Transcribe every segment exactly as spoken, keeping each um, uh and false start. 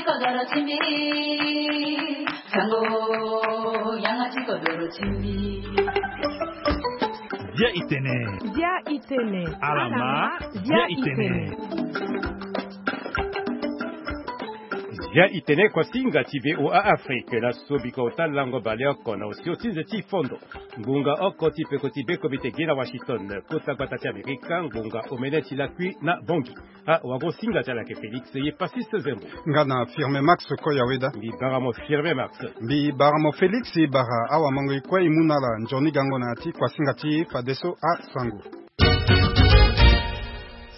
Kodoro ti mbi, sango, yanga ti kodoro ti mbi. Bia itene. Bia itene. Alama, bia itene. Bia itene, kuasinga ti V O A Afrique, laso bika ota lango baleoko na osio ti nze ti fondo. Ngbonga oko ti peko ti beko bi te gi na Washington, kota gbata ti Amerika, ngbonga omene ti lakui na Bangui. Ah, wago singa ti ala yeke Félix ye Pasiste Zembo. Nga na Firme Max Koyaweda. Mbi bara mo Firme Max. Mbi bara mo Félix, e bara awamango e kue e mu na ala nzoni gango na ya ti kuasinga ti fadeso asango.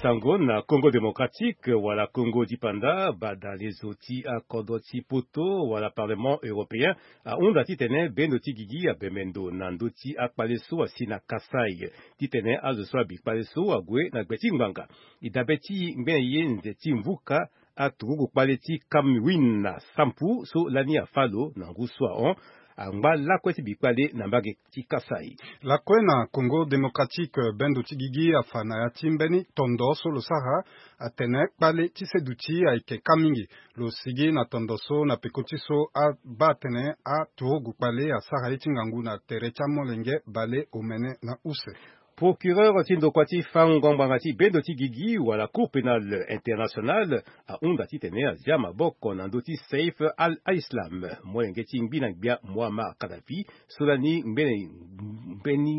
Sango na Congo Démocratique wala Congo dipanda, badalezo ti akodro ti poto wala Parlement Européen ahunda titene bendo ti gigi abembe ndo na ndö ti akpale so asi na Kasaï, titene azo so abi kpale so ague na gbe ti ngbanga. E dabe ti ngbene ye nze ti mvuka, aturugu kpale ti Kamwin na Sampu so lani afâ lo na ngu so ahon, angba lakue ti bikpale na mbage ti Kasaï. Lakue na Congo Démocratique, bendo ti gigi afa na ya ti mbeni tondo so lo sara atene kpale ti seduti ayeke ka mingi. Lo sigi na tondo so na peko ti so abaa atene aturugu kpale asara ye ti ngangu na tere ti amolenge bale omene na use. Procureur ti ndokua ti fango ngbanga ti bendo ti gigi wala Cour pénale internationale ahunda titene azia maboko na ndö ti Saif al-Islam, molenge ti ngbi na gbia Muammar Kadhafi, so lani ngbene mbeni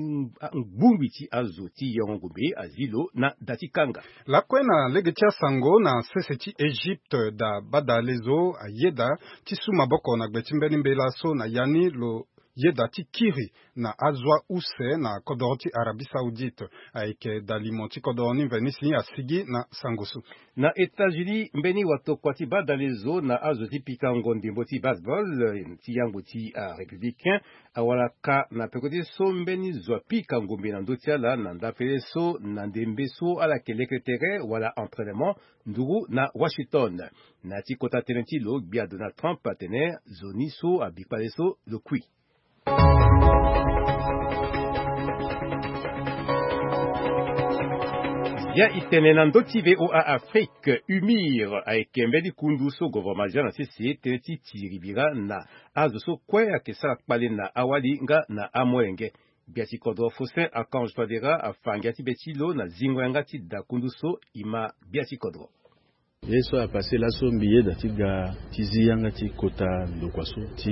ngbungbi ti azo ti yongo ngombe azi lo na da ti kanga. Lakue na lege ti asango na sese ti Egypte, da badalezo ayeda ti su maboko na gbe ti mbeni mbela so na ya ni lo yeda ti kiri na azo ause na kodoro ti Arabie Saoudite. Ayeke dalimo ti kodoro ni mveni si asigi na sango so. Na États-Unis, mbeni watokua ti badalezo na azo ti pikango ndembo ti baseball, eh, ti yangbo ti arépublicain awara ka na peko ti so mbeni zo apika ngombe na ndö ti ala na ndapele so na ndembe so ala yeke leke tere wala entraînement nduru na Washington. Na ya ti kota tënë ti lo, gbia Donald Trump atene zo ni so abi kpale so lo kui. Ya itene na ndö ti V O A Afrique, UMIR ayeke mbeni kundu so govoroma azia na sese tënë ti tiri bira na azo so kue ayeke sara kpale na awali nga na amolenge. Gbia ti kodro Faustin Archange Touadéra afa ngia ti be ti lo na zingo yanga ti da kundu so e ma gbia ti kodro. Ye so apasse laso mbi yeda ti ga ti zi yanga ti kota ndokua so ti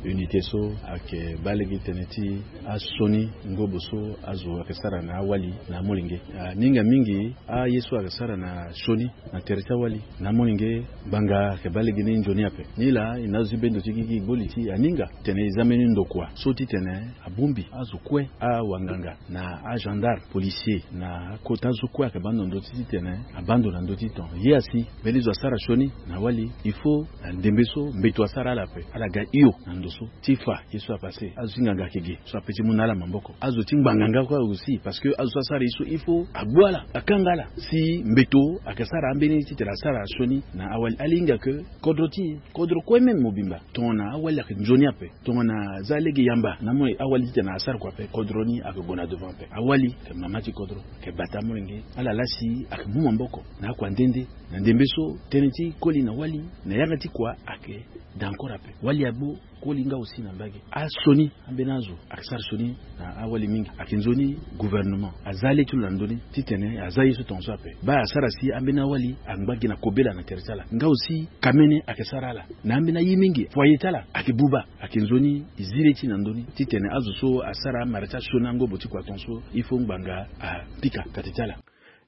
unité so ayeke baa lege tene ti asioni ngobo so azo ayeke sara na awali na amolenge. Aninga mingi aye so ayeke sara na sioni na tere ti awali na amolenge, ngbanga ayeke baa lege ni nzoni ape. Nilaa e na azo ti bendo ti gigi e gbo li ti aninga tene e za mbeni ndokua so titene abongbi azo kue, awanganga na agendarme, policier na akota so kue ayeke baa ndo na ndö ti titene abaa ndo na ndö ti ton. Ye asi mbeni zo asara sioni na awali, il faut na ndembe so mbeto asara ala ape, ala ga hio na ndo so ti fa ye so apasse. Azo ti nganga ayeke ge so ape ti mu na ala maboko. Azo ti ngbanga nga kue aussi, parce que azo so asara ye so il faut agbu ala, akanga ala si mbeto ayeke sara ambeni titene asara sioni na awali. Ala hinga ke kodro ti e, kodro kue même mobimba, tongana awali ayeke nzoni ape, tongana aza lege yamba na amolenge, awali titene asara kua ape, kodro ni ayeke gue na devant ape. Awali ayeke mama ti kodro, ayeke bata amolenge. Ala laa si ayeke mu maboko na akua nde nde na ndembe so tënë ti koli na wali na yanga ti kua ayeke da encore ape. Wali agbu, koli nga aussi na mbage. Asioni ambeni azo ayeke sara sioni na awali mingi. Ayeke nzoni gouvernement aza le ti lo na ndö ni titene aza ye so tongaso ape. Baa asara si ambeni awali angba gi na kobela na tere ti ala. Nga aussi kamene ayeke sara ala na ambeni aye mingi. Foyer ti ala ayeke buba. Ayeke nzoni e zi le ti na ndö ni titene azo so asara amara ti asioni angobo ti kua tongaso, il faut ngbanga apika kati ti ala.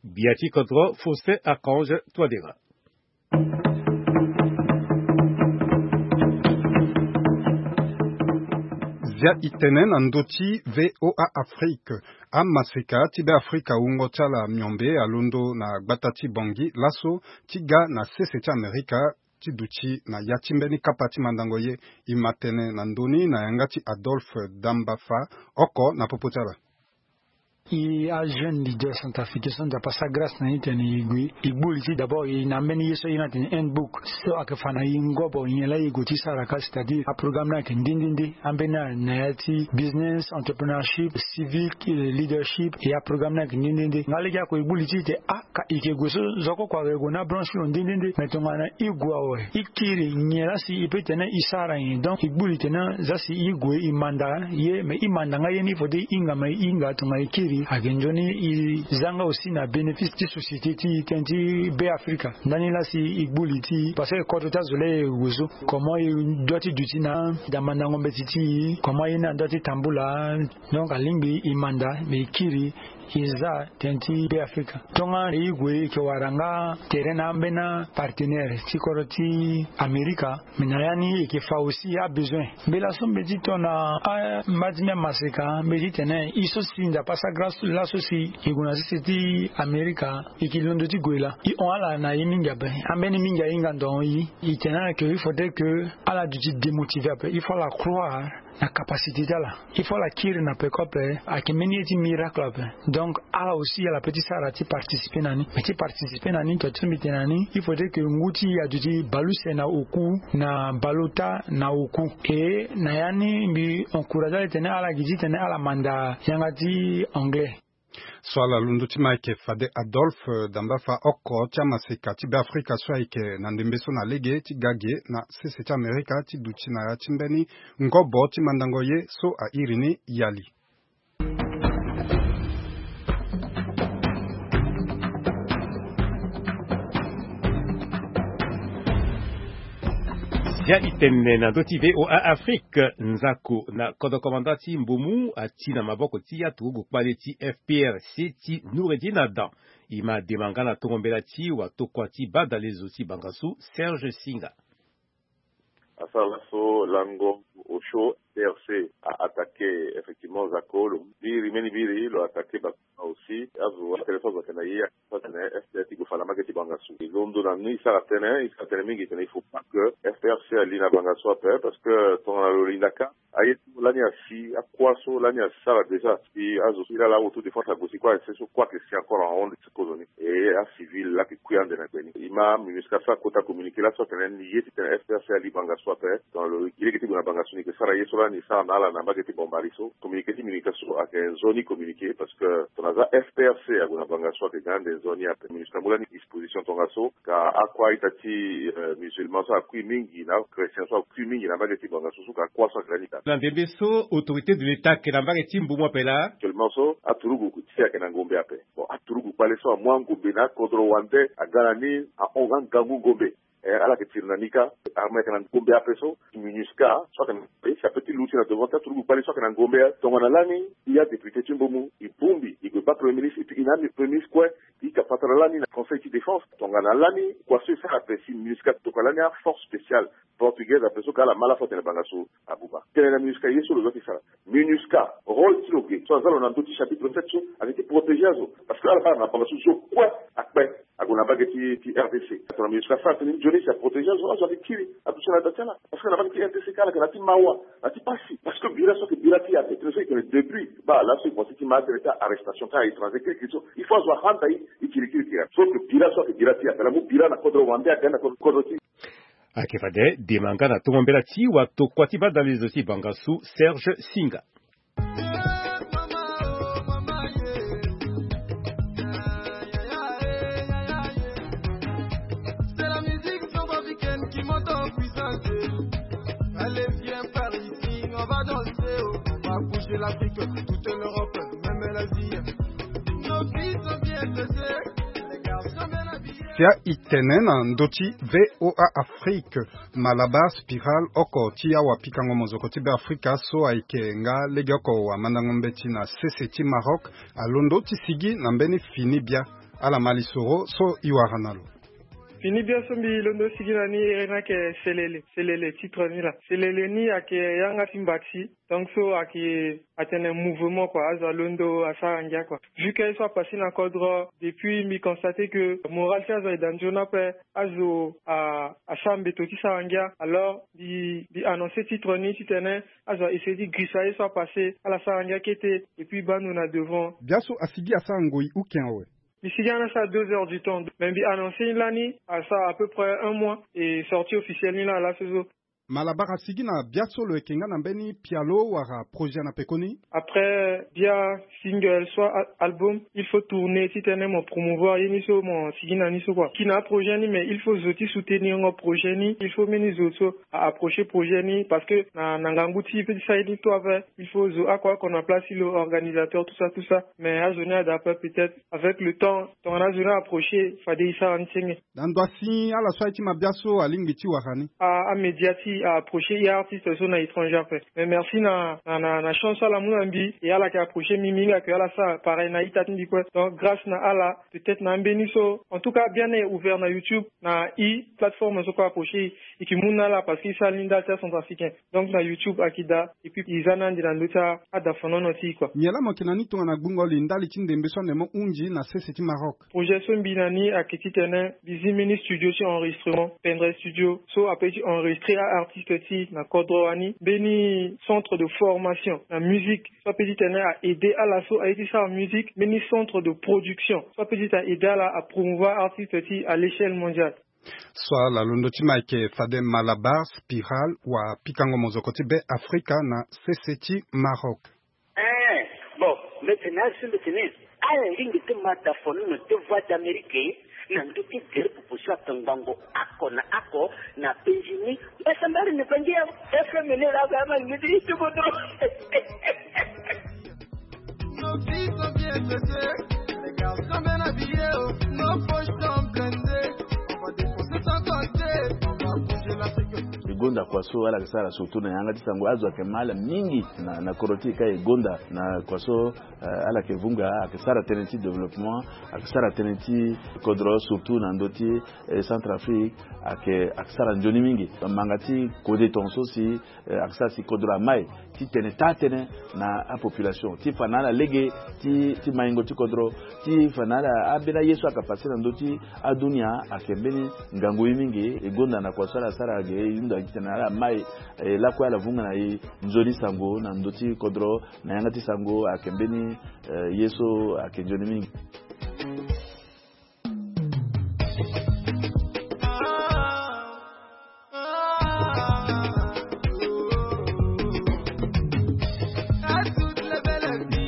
Gbia ti kodro Faustin Archange Touadéra. Zia e tene na ndö ti V O A Afrique. Amaseka ti Beafrika wungo ti ala miombe alondo na gbata ti Bangui laso ti ga na sese ti Amerika ti duti na ya ti mbeni kapa ti mandango ye. E ma tene na ndö ni na yanga ti Adolphe Dambafa oko na popo ti ala. E ajeune leader centrafricain so Nzapa asara grâce na e titene e gue, e gbu li ti d'abord e na ambeni ye so e iri ni atene handbook so ayeke fa na e ngobo nyen laa e gue ti sara ka, c'est-à-dire aprogramme ni ayeke nde nde nde. Ambeni ala na ya ti business, entrepreneurship, civic leadership, e aprogramme ni ayeke nde nde nde. Nga lege ako e gbu li ti e tene ah, ka e yeke gue so zo kue kue ayeke gue na branche lo nde nde nde. Mais tongana e gue awe, e kiri nyen laa si e peut tene e sara nyen? Donc e gbu li tene zia si e gue e manda ye, mais e manda nga ye ni, il faut ti e hinga, mais e hinga tongana e kiri ayeke nzoni e za nga aussi na bénéfice ti société ti e, tënë ti Be Afrika. Ndani laa si e gbu li ti e, parce que kodro ti azo laa e gue so, comment e doit ti duti na da mandango mbeti ti e, comment ye ni adoit ti tambula. Donc alingbi e manda, mais e kiri e za tënë ti Be Afrika. Tongana e gue e yeke wara nga tere na ambeni apartenaire ti kodro ti Amerika, mais na ya ni e yeke fa aussi abesoin. Mbela so mbi ti tongana amba ti mbi amaseka, mbi ti tene e so si Nzapa asara grâce laso si e gue na sese ti Amerika, e yeke londo ti gue laa. E hon ala na e mingi ape. Ambeni mingi ahinga ndo ahon e. E tene ala ke il faudrait que ala duti démotivé ape. Il faut ala croire na capacité ti ala. Il faut ala kiri na peko ape, ayeke mbeni ye ti miracle ape. Donc ala aussi ala peut ti sara ti participer na ni. Mais ti participer na ni, to ti so mbi tene na ni, il faudrait que ngu ti e aduti baleuse na oku, na baleota na oku. E na ya ni mbi encourage ala titene ala gi titene ala manda yanga ti anglais. So ala londo ti ma ayeke fade Adolphe, eh, damba fa oko ti amaseka ti Be Afrika so ayeke na ndembe so na lege ti ga ge na sese ti Amerika ti duti na ya ti mbeni ngobo ti mandango ye so a iri ni Yali. Sia itene na ndö ti V O A Afrique, nzako na kodro komanda ti Mbomu ati na maboko ti aturugu kpale ti F P R C ti Noureddin Adam. E ma dema nga na tongo mbela ti watokua ti badalezo ti bangasu Serge Singa. Asara laso lango osio F P R C a attaqué effectivement nzako, lo biri mbeni biri, lo attaqué ba aussi azo atene so azo ayeke na ye, atene F P R ti gue fa na mbage ti bangasu. E londo na ni, e sara tënë, e sara tënë mingi, e tene il faut pas que F P R C ali na bangasu ape, parce que tongana lo linda ka, aye so lani asi, akua so lani asara déjà si azo so e laa autodéfense ague si kue, aye so kue ayeke si encore ahon ti kozoni. E acivil laa ayeke kui ande na gbe ni. E ma MINUSCA so akota communiqué laso atene ni ye titene F P R C ali bangasu ape. Donc lo gi lege ti gue na bangasu, ni yeke sara ye so lani e sara na ala na mbage ti Bambari so. Communiqué ti MINUSCA so ayeke nzoni communiqué, parce que tongana aza F P R C ague na bangasu ayeke ga ande nzoni ape. MINUSCA amu lani disposition tongaso, ka akua ita ti, euh, musulman so akui mingi na achrétien so akui mingi na mbage ti bangasu so ka akua so ayeke lani ka. Na ndembe so autorité de l'État ayeke na mbage ti Mbomu ape laa. Actuellement so aturugu ti ayeke na ngombe ape. Bon, aturugu kpale so amu angombe na akodro wande aga na ni, ahon nga ngangu ngombe. Eh, ala yeke tiri na ni ka, armée ayeke na ngombe ape so, MINUSCA so ayeke na, si ape ti luti na devant ti aturugu kpale so ayeke na ngombe. Tongana lani, e adéputé ti Mbomu, e bongbi, e gue baa premier ministre, et puis e na ami premier ministre kue, e yeke patara lani na conseil ti défense. Tongana lani, kua so e sara ape si MINUSCA tokua lani aforce spéciale portugaise ape so ka ala ma lafo atene bangasu abuba. Tene na MINUSCA ye so lo doit ti sara. MINUSCA, rôle ti lo ge so aza lo na ndö ti chapitre sept so, ayeke ti protéger azo. Parce que ala baa na bangasu so kue akpe ague na mbage ti, ti R D C. Tongana MINUSCA asara tënë ni nzoni si aprotéger azo, azo ayeke kiri aduti na da ti ala. Parce que na mbage ti R D C ka ala yeke na ti mawa, na ti pasi. Parce que bira so ayeke bira ti e ape, tënë so e yeke na début, baa laso e voici ti ma atene ti arrestation ti a-étranger kirikiri so, il faut azo ahanda e, e kirikiri. Sauf que bira so ayeke bira ti e ape, ala mu bira na kodro wande, aga na kodro ti. Ayeke fade dema nga na tongo mbela ti watokua ti badalezo ti bangasu Serge Singa. Sia itene na ndö ti V O A Afrique, Malabar Spiral, oko ti awapikango mozoko ti Be Afrika so ayeke nga legeoko wamandango mbeti na sese ti Maroc, alondo ti sigi na mbeni fini bia. Ala ma lisoro so e wara na lo. Fini biaso mbi londo sigi na ni ere ni ayeke Selele. Selele, titre ni laa. Selele ni ayeke yanga ti mbati. Donc so ayeke atene mouvement kua, azo alondo asara ngia kua. Vu que ye so apasé na kodro, depuis mbi constate que moral ti azo ayeke da nzoni ape. Azo asara mbeto ti sara ngia. Alors mbi annoncer titre ni titene azo a essayer ti girisa ye so apasé, ala sara ngia kete. Et puis baa ndo na devant. Biaso asigi asara ngoi ou ken awe? Mbi sigi ana asara deux heures du temps, mais mbi annoncer ni lani asara à peu près un mois et sortie officielle ni laa laso so. Malabar asigi na biaso lo yeke nga na mbeni pialo wala projet na pekoni? Après bia single soit album, il faut tourner titene mo promouvoir ye ni so mo sigi na ni so kua. Ki na aprojet ni, mais il faut zo ti soutenir ngo projet ni. Il faut mbeni zo so a approcher projet ni parce que na ngangu ti e pe ti sara ye ni to ape. Il faut zo oko oko na place ti lo, organisateur, tout ça tout ça. Mais azo ni ada ape, peut-être avec le temps tongana azo ni a approcher fade e sara ni senge. Na ndo asi ala so aye ti mabia so alingbi ti wara ni? Amédia ti a approcher e artiste so na étranger ape. Mais merci na na na chance so ala mu na mbi, e ala yeke approcher mbi mingi ake ala sara pareil na ita ti mbi kue. Donc grâce na ala, peut-être na ambeni so, en tout cas biani e ouvert na YouTube, na e plateforme so kue approcher e, e ke mu na ala parce que e sara ni ndali ti acentrafricain. Donc na YouTube ayeke daa. Et puis e za ni ande na ndö ti adafanono ti e kua. Nyen laa mo yeke na ni tongana gbungo li ndali ti ndembe so ande mo hunzi na sese ti Maroc? Projet so mbi na ni ayeke titene mbi zi mbeni studio ti enregistrement, Pendre Studio, so ape ti enregistrer a artiste ti e na kodro wani. Mbeni centre de formation na musique so ape titene a aider ala so aye ti sara musique. Mbeni centre de production so ape titene a aider ala a promouvoir artiste ti e à l'échelle mondiale. So ala londo ti ma ayeke fade Malabar Spiral wa pikango mozoko ti Be Afrika na sese ti Maroc. Eh, bon, mbi tene na ala so mbi tene ala lingbi ti ma dafanono ti Voix d'Amérique na ndö ti gere popo so atongbango oko na oko na penzi ni. Mbasambari ni bangi ya F M ni la ba ma ni ti ti bodo. E gonda kua so ala yeke sara surtout na yanga ti sango, azo ayeke ma ala mingi na, na kodro ti e ka e gonda na kua so, eh, ala yeke vunga, ayeke sara tënë ti développement, ayeke sara tënë ti kodro surtout na ndö ti, eh, Centrafrique, ayeke, ayeke sara nzoni mingi. Manga ti kode tongaso si, eh, ayeke sara si kodro amai ti tene taa-tënë na apopulation ti fa na ala lege ti, ti maingo ti kodro, ti fa na ala ambeni aye so ayeke pase na ndö ti adunia. Ayeke mbeni ngangu ye mingi. E gonda na kua so ala sara ge, e hunda titene ala mai, eh, lakue ala vunga na e nzoni sango na ndö ti kodro na yanga ti sango. Ayeke mbeni, eh, ye so ayeke nzoni mingi.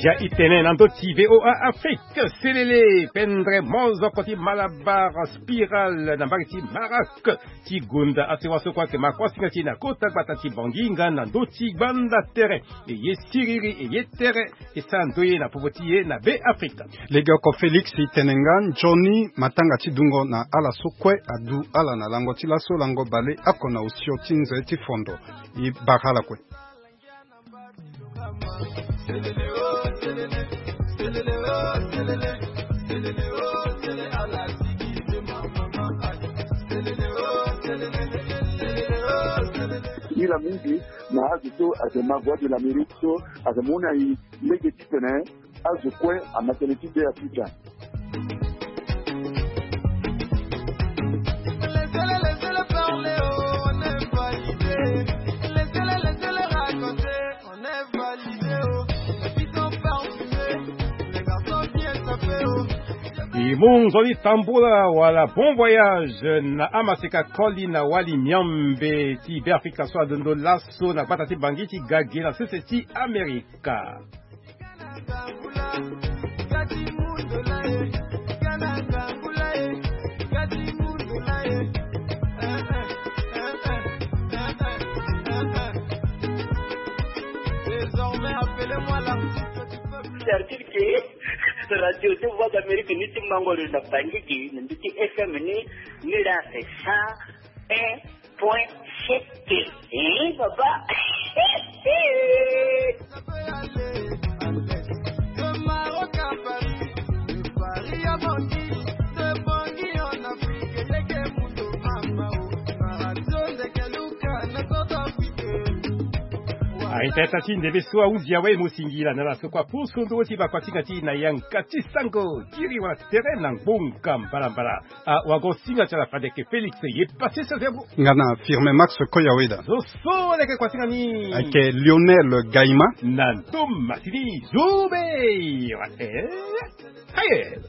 Dia itene na ndö ti V O A Afrique, selele, pendre mozoko ti Malabar Spiral na mbage ti Maroc. Ti gonda asewa so kue ayeke ma kuâ singa ti e na kota gbata ti Bangui nga na ndö ti gbanda tere. E ye siriri, e ye tere, e sara ndoye na popo ti e na Be Afrika. Legeoko Félix e tene nga nzoni matanga ti dungo na ala so kue adu ala na lango ti laso lango bale oko na osio ti nze ti fondo. E bara ala kue. Ila mingi na azo so ayeke ma Voix de l'Amérique so ayeke mu na e lege titene azo kue ama tënë ti Be Afrika. E mu nzoni tambula wala bon voyage na amaseka koli na wali miombe ti Be Afrika so alondo laso na gbata ti Bangui ti ga ge na sese ti Amerika. Certitude que radio ti Voix d'Amérique ni ti mango lo na Bangui gi na ndö ti F M ni, ni la sa un point sept. Eh, papa. Aita ita ti ndembe so ahunzi awe mo singila na ala so kua poso ndo ti bakuasinga ti na yanga ti sango tiri wala tere na ngbonga mbalambala. Awago singa ti ala fade ke Félix ye pase so via mo. Nga na Firme Max Koyaweda. Zo so leke kuasinga ni. Ake Lionel Gaima. Na ndo masini zo be. Wate. Aye.